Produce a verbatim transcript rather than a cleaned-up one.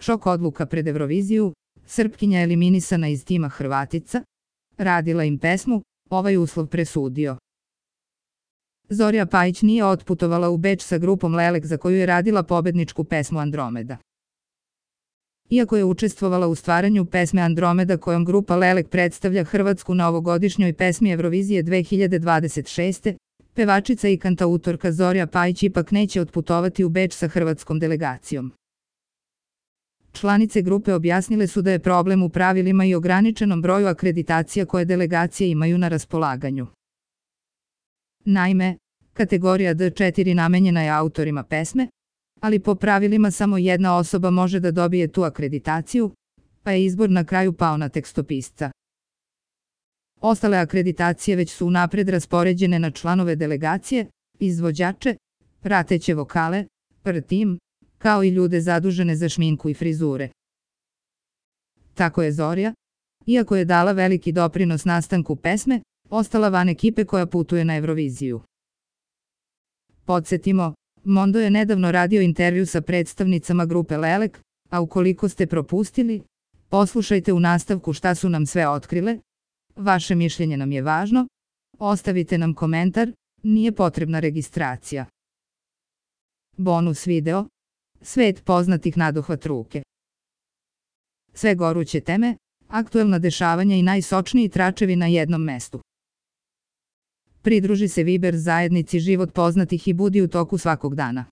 Šok odluka pred Euroviziju, Srpkinja eliminisana iz tima Hrvatica, radila im pesmu, ovaj uslov presudio. Zorja Pajić nije otputovala u Beč sa grupom Lelek za koju je radila pobedničku pesmu Andromeda. Iako je učestvovala u stvaranju pesme Andromeda kojom grupa Lelek predstavlja Hrvatsku na ovogodišnjoj pesmi Eurovizije dve hiljade dvadeset šeste, pevačica i kantautorka Zorja Pajić ipak neće otputovati u Beč sa hrvatskom delegacijom. Članice grupe objasnile su da je problem u pravilima i ograničenom broju akreditacija koje delegacije imaju na raspolaganju. Naime, kategorija D četiri namenjena je autorima pesme, ali po pravilima samo jedna osoba može da dobije tu akreditaciju, pa je izbor na kraju pao na tekstopisca. Ostale akreditacije već su unapred raspoređene na članove delegacije, izvođače, prateće vokale, R tim, kao i ljude zadužene za šminku i frizure. Tako je Zorja, iako je dala veliki doprinos nastanku pesme, ostala van ekipe koja putuje na Euroviziju. Podsjetimo, Mondo je nedavno radio intervju sa predstavnicama grupe Lelek, a ukoliko ste propustili, poslušajte u nastavku šta su nam sve otkrile. Vaše mišljenje nam je važno, ostavite nam komentar, nije potrebna registracija. Bonus video, svet poznatih nadohvat ruke. Sve goruće teme, aktuelna dešavanja i najsočniji tračevi na jednom mestu. Pridruži se Viber zajednici Život poznatih i budi u toku svakog dana.